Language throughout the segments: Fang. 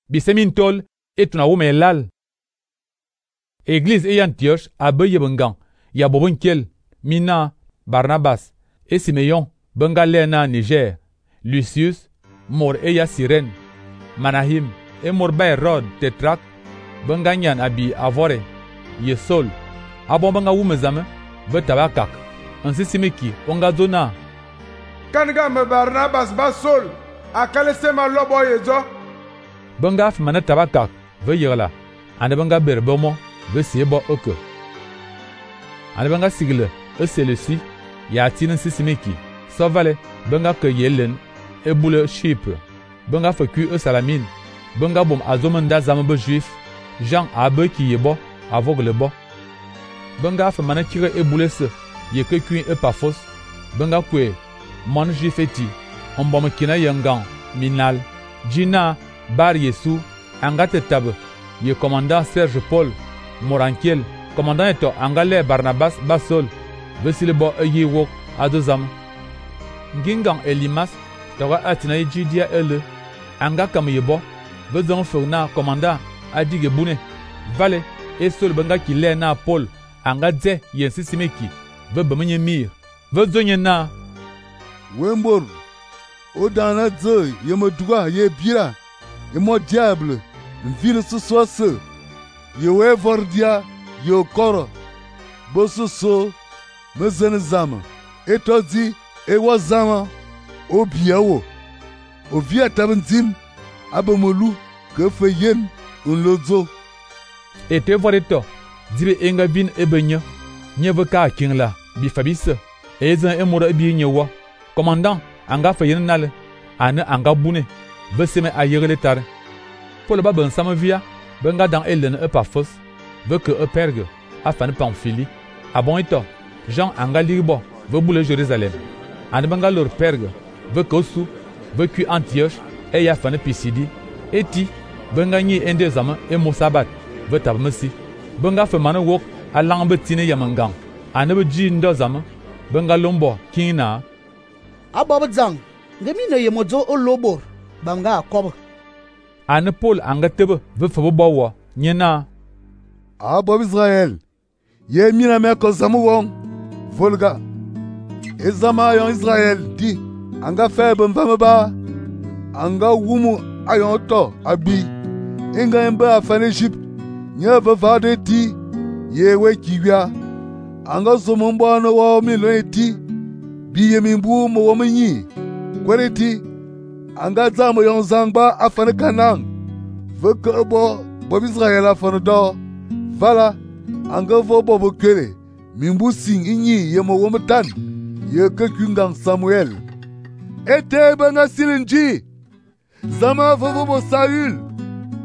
bisemin tol et tuna wome lal. Église et Antioche a be yebengang ya bobonkel mina Barnabas et Simeon benga lena Niger, Lucius mor e ya Cyrène, Manahim et mor ba Herod Tetrak benga nyan abi avore ye Sol abon benga wumezame be tabakak ansi simeki onga zona kanga me Barnabas ba Sol akale sema lobo yezo benga fmana tabakak ve yela ande benga berbomo ve siebo oke ande benga sigle e selesi ya tin sisimeki sovale benga ke yelen e boule Chypre benga feku e Salamine benga bom azomenda zambe juif Jean abe ki yebo aveugle bo benga fmana kire e boule se ye ke kuin e Paphos benga kwe mon juifeti ombom kina yangan minal jina bar Yesu angate tab ye commandant Serge Paul Morankiel commandant eto angale Barnabas Basol vesile bo yi wok adozam ngingang Elimas tawa atina Judea ele anga kam yebo vezon fona commandant adige bune vale et sol benga ki le na Paul anga dze yensi simeki ve bemenye mir ve zonye na wembor odana dze yemoduga ye bira et mon diable ville ce soit ce ye wevordia ye koro bososo mezenezama etodi e wazama obiawo ovia tabendim abomolu ke feyen unlozo ete voreto dibe enga vin ebenye nyeve ka kingla bi fabise ezan emora bi nyewa commandant anga feyen nale ane anga bune beseme ayegele tare Paul ba ben samavia benga dans Hélène e Paphos veut que e Pergue afin Pamphylie abon ito Jean anga libo veut boule Jérusalem ane benga lor Pergue veut que su veut que Antioche e ya afin Pisidie eti benga ni ende zama e Mosabat veut tabmesi benga fe mane wok alang betine yamangang ane be ji ndo zama benga lombo kina abob zang ngemi ne yemozo olobor banga akob ane Paul anga tebe ve fabo bawo nyena abob Israël ye mina me ko zamu won volga ezama yon Israël di anga febe mvame ba anga wumu ayon to abi inga embe afan Egypte nye ve vade ti ye we kiwia anga zomo mbano wa mi lo eti bi ye mimbu mo wo menyi kwereti anga zamo yon zangba afan Kanaan ve ke bo Israël afan do vala anga vo bo kere mimbu sing inyi ye mo wo mtan ye ke kungang Samuel ete banga silinji zama vovo Saül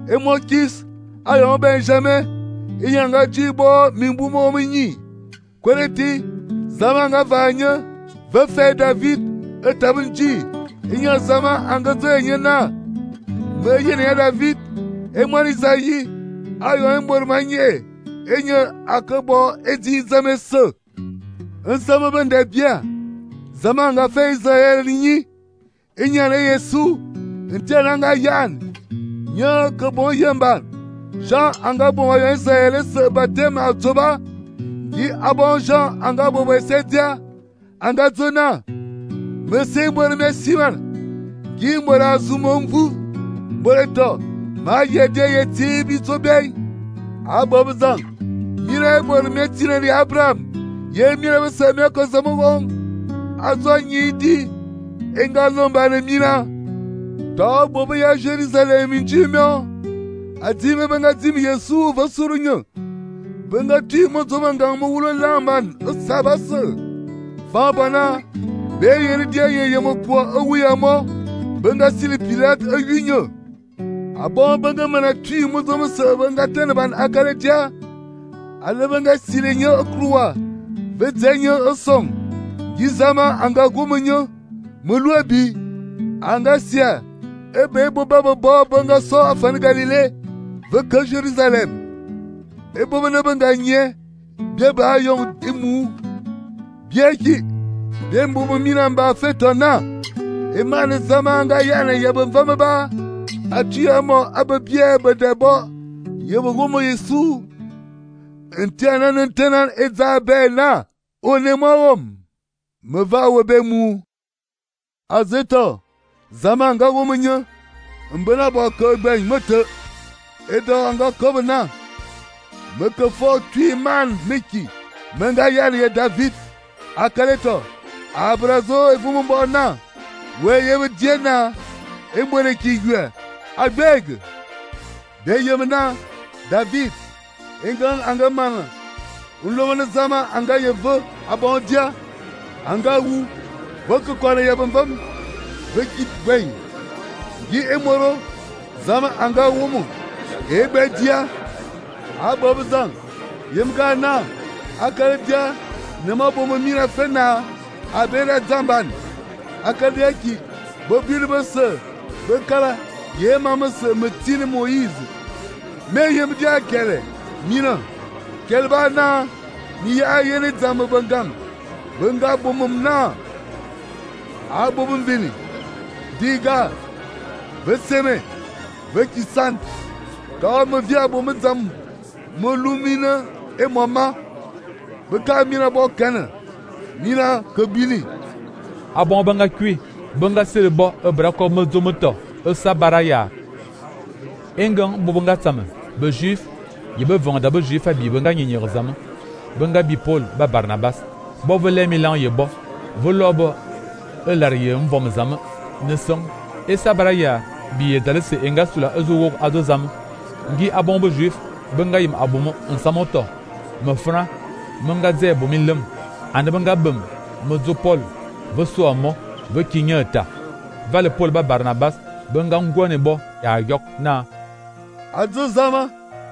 et mon kis ayon Benjamin inyanga jibo mimbu mo menyi kwereti zama nga vanya ve fe David etabinji inya zama anga zenye na me yene David e mon Isaïe ayon mbor manye inya akabo edi zame se nsama bende bien zama nga fe Israël ni inya ne Yesu ntena nga yan nya ke bon yemban Jean anga bon ayon Israël se baptême atoba gi abon Jean anga bo besedia anga zona mese mbor mesiman gi mbora zumomvu mboreto ma yede yeti bitobei abob zang mire mbor metine li Abraham ye mire bese me ko zamugon azo nyidi enga lomba ne mina to bobo ya Jerusalem njimyo adime benga dim Yesu vasurunyo benga timo zomanga mo wulo lamban sabase fa bana be yeri dia ye mo ko awiyamo benga sili Pilate ayunyo abon benga mana timo zomse benga tenban akaretia ale benga silenyo akruwa vezenyo osong gizama anga gumunyo muluabi anga sia ebe bo baba bo benga so afan Galilée veke Jérusalem ebo bana benga nye bie ba yon imu bie ki bie mbubu mina mba fetona emane zama anga yana yebe mvame ba Atuamo ababie bedebo yebugumo Yesu. Entianan entenan ezabena onemawom. Meva webemu. Azeto zama anga womunya. Mbena bo ko ben moto. Edo anga kobna. Meke fo tui man miki. Menga yani ye David. Akaleto. Abrazo evumbo na. We yebe diena. Emwene kigwe. Agbeg. De yemna. David. Engan anga mana. Unlomane zama anga yevo. Abondia. Anga wu. Boku kwane yebambam. Veki bwen. Gi emoro. Zama anga wumu. Ebe dia. Abobzang. Yemga na. Akaledia. Nema bomo mira fena. Abera zamban. Akadeki. Bobili bese. Bekala. Yema mese metine Moïse. Me yem dia kele. Mina. Kelba na. Ni ya yene zama bangam. Banga bomum na. Abobum vini. Diga. Veseme. Vekisan. Quand me vient pour me zam. Me lumina. Et maman. Beka mina bo kana. Mina kabili. Abon banga kui. Banga selebo ebrako mezomoto. Sabaraya. Engan bobanga tsama. Be juif. Yebe vanda be juif abi banga nyenyer zama. Banga bi Paul ba Barnabas. Bo vele milan yebo. Volobo. Elariye mvom zama. Nesong. Sabaraya. Bi dalese enga sula ezo ado zama. Ngi abon be juif. Banga yim abomo nsamoto. Me fran. Menga ze bomilem. Ande banga bem. Mezo Paul. Ve so amo. Ve kinyeta. Vale Paul ba Barnabas. Benga ngwane bo ya yok na. Adzo zama.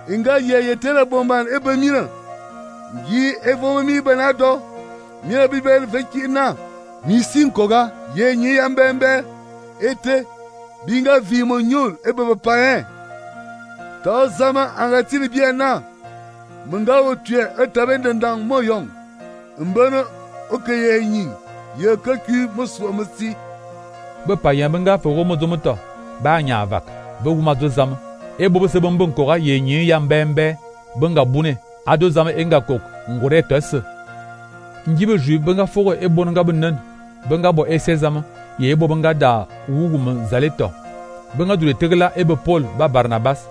Inga ye tele bomban ebe mina. Gi evo mi benado. Mina bibel veki na. Mi sinkoga. Ye nyi yambembe. Ete. Binga vimo nyul ebe bepayen. Ta zama angatili bien na. Menga otue etabendendang moyong. Mbeno okeye nyi. Ye kaku muswa musi. Bepayen benga foro mozomoto. Ba nya vak. Be wuma do zam. E bobo se bombon kora ye nyi yambembe. Benga bune. Ado zam enga kok. Ngore tese. Njibe ju benga foro e bonga benen. Benga bo ese zam. Ye bo benga da wugum zaleto. Benga dule tegla ebe Paul ba Barnabas.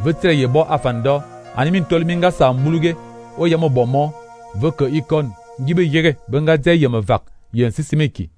Vetre ye bo afando. Animin tol minga sa muluge. O yamo bomo. Veke ikon. Njibe yere benga ze yeme vak. Yen sisimeki.